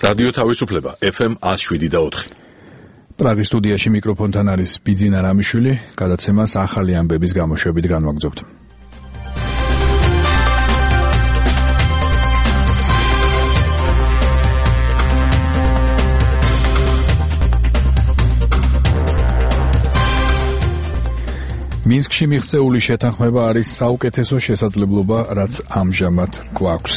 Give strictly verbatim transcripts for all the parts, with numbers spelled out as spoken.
რადიო თავისუფლება ეფ ემ one oh seven და four. პრაღის სტუდიაში მიკროფონთან არის ბიძინა რამიშვილი, გადაცემას ახალი ამბების გამოშვებით განვაგრძობთ. მინსკში მიღწეული შეთანხმება არის საუკეთესო შესაძლებლობა, რაც ამჟამად გვაქვს,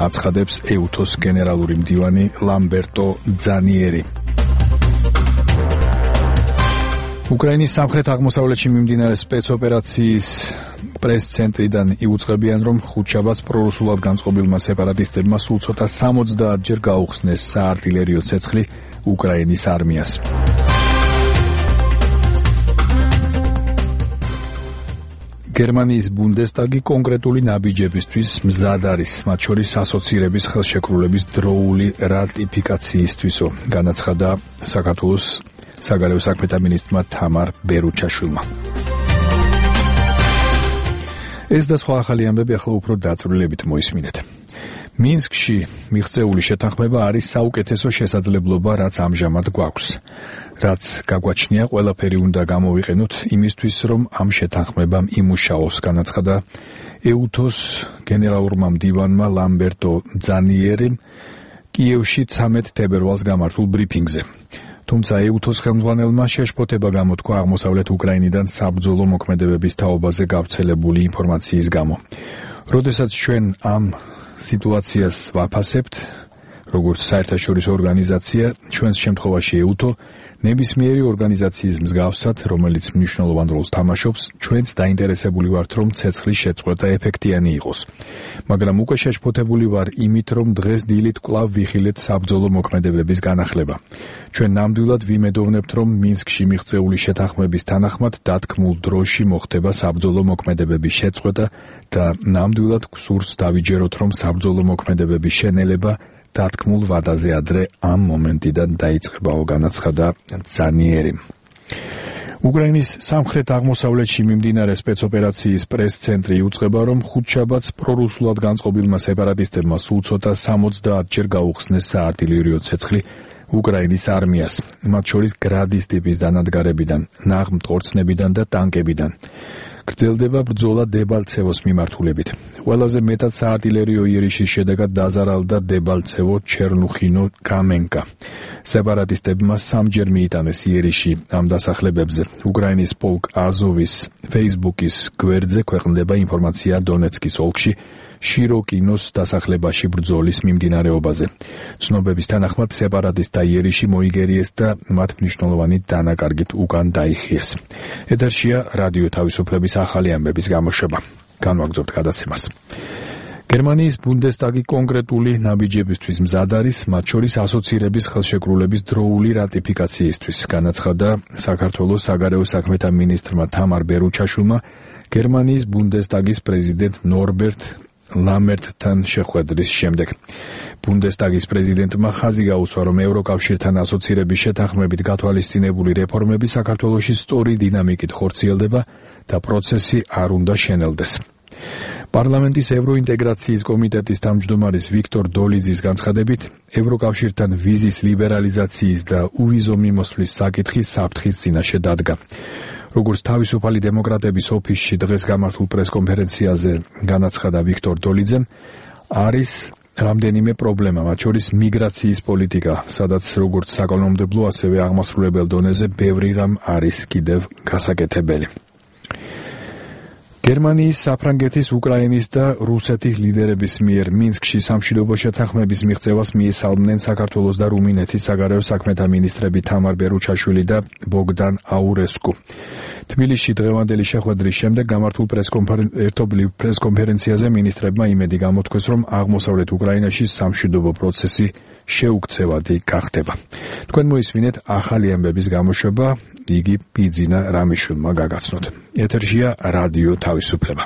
აცხადებს ეუთოს გენერალური მდივანი ლამბერტო ძანიერი. უკრაინის სამხრეთ-აღმოსავლეთში მიმდინარე სპეცოპერაციის პრეს-ცენტრიდან იუწყებიან, რომ ხუთშაბათს პრორუსულად განწყობილმა სეპარატისტებმა სულ ცოტა სამოცდაათ ჯერ გაუხსნეს საარტილერიო ცეცხლი უკრაინის არმიას. გერმანიის ბუნდესტაგი კონკრეტული ნაბიჯებისთვის მზად არის, მათ შორის ასოცირების ხელშეკრულების დროული რატიფიკაციისთვისო, განაცხადა საქართველოს საგარეო საქმეთა მინისტრმა თამარ ბერუჩაშვილმა. ეს და სხვა ახალი ამბები ახლა უფრო დაწვრილებით მოისმინეთ. მინსკში მიღწეული შეთანხმება არის საუკეთესო შესაძლებლობა, რაც ამჟამად გვაქვს. რაც გაგვაჩნია, ყველაფერი უნდა გამოვიყენოთ იმისთვის, რომ ამ შეთანხმებამ იმუშაოს, განაცხადა ეუთოს გენერალურმა მდივანმა ლამბერტო ძანიერიმ კიევში ცამეტ თებერვალს გამართულ ბრიფინგზე. თუმცა ეუთოს ხელმძღვანელმა შეშფოთება გამოთქვა აღმოსავლეთ უკრაინიდან საბრძოლო მოქმედებების თაობაზე გავრცელებული ინფორმაციის გამო. როდესაც ჩვენ ამ სიტუაციას ვაფასებთ, როგორც საერთაშორისო ორგანიზაცია, ჩვენს შემთხვევაში ეუთო, ნებისმიერი ორგანიზაციის მსგავსად, რომელიც მნიშვნელოვან როლს თამაშობს, ჩვენც დაინტერესებული ვართ, რომ ცეცხლის შეწყვეტა ეფექტიანი იყოს. მაგრამ უკვე შეშფოთებული ვარ იმით, რომ დღეს დილით კვლავ ვიხილეთ საბრძოლო მოქმედებების განახლება. ჩვენ ნამდვილად ვიმედოვნებთ, რომ მინსკში მიღწეული შეთანხმების თანახმად დათქმულ დროში მოხდება საბრძოლო მოქმედებების შეწყვეტა და ნამდვილად გვსურს დავიჯეროთ, რომ საბრძოლო მოქმედებების შენელება დათქმულ ვადაზე ადრე ამ მომენტიდან დაიწყებაო, განაცხადა ძანიერიმ. უკრაინის სამხრეთ-აღმოსავლეთში მიმდინარე სპეცოპერაციის პრეს-ცენტრი იუწყება, რომ ხუთშაბათს პრორუსულად განწყობილმა სეპარატისტებმა სულ ცოტა სამოცდაათ ჯერ გაუხსნეს საარტილერიო ცეცხლი უკრაინის არმიას, მათ შორის გრადის ტიპის დანადგარებიდან, ნაღმტყორცნებიდან და ტანკებიდან. გრძელდება ბრძოლა დებალცევოს მიმართულებით. ყველაზე მეტად საარტილერიო იერიშის შედეგად დაზარალდა დებალცევო, ჩერნუხინო, კამენკა. სეპარატისტებმა სამჯერ მიიტანეს იერიში ამ დასახლებებზე. უკრაინის პოლკ აზოვის ფეისბუქის გვერდზე ქვეყნდება ინფორმაცია დონეცკის ოლქში შიროკინოს დასახლებაში ბრძოლის მიმდინარეობაზე. ცნობების თანახმად სეპარატისტთა იერიში მოიგერიეს და მათ მნიშვნელოვანი დანაკარგით უკან დაიხიეს. ეთერშია რადიო თავისუფლების ახალი ამბების გამოშვება. განვაგრძობთ გადაცემას. გერმანიის ბუნდესტაგი კონკრეტული ნაბიჯებისთვის მზად არის, მათ შორის ასოცირების ხელშეკრულების დროული რატიფიკაციისთვის, განაცხადა საქართველოს საგარეო საქმეთა მინისტრმა თამარ ბერუჩაშვილმა გერმანიის ბუნდესტაგის პრეზიდენტ ნორბერტ ლამერტთან შეხვედრის შემდეგ. ბუნდესტაგის პრეზიდენტმა ხაზი გაუსვა, რომ ევროკავშირთან ასოცირების შეთანხმებით გათვალისწინებული რეფორმები საქართველოში სწორი დინამიკით ხორციელდება და პროცესი არ უნდა შენელდეს. პარლამენტის ევროინტეგრაციის კომიტეტის თავმჯდომარის ვიქტორ დოლიძის განცხადებით, ევროკავშირთან ვიზის ლიბერალიზაციის და უვიზო მიმოსვლის საკითხი საფრთხის წინაშე დადგა. როგორც თავისუფალი დემოკრატების ოფისში დღეს გამართულ პრესკონფერენციაზე განაცხადა ვიქტორ დოლიძემ, არის რამდენიმე პრობლემა, მათ შორის მიგრაციის პოლიტიკა, სადაც როგორც საკანონმდებლო, ასევე აღმასრულებელ დონეზე ბევრი რამ არის კიდევ გასაკეთებელი. გერმანიის, საფრანგეთის, უკრაინის და რუსეთის ლიდერების მიერ მინსკში სამშვიდობო შეთანხმების მიღწევას მიესალმნენ საქართველოს და რუმინეთის საგარეო საქმეთა მინისტრები თამარ ბერუჩაშვილი და ბოგდან აურესკუ. თბილისში დღევანდელი შეხვედრის შემდეგ გამართულ ერთობლივ პრესკონფერენციაზე მინისტრებმა იმედი გამოთქვეს, რომ აღმოსავლეთ უკრაინაში სამშვიდობო პროცესი შეუქცევადი გახდება. თქვენ მოისმინეთ ახალი ამბების გამოშვება, იგი ბიძინა რამიშვილმა გაგაცნოთ. ეთერშია რადიო თავისუფლება.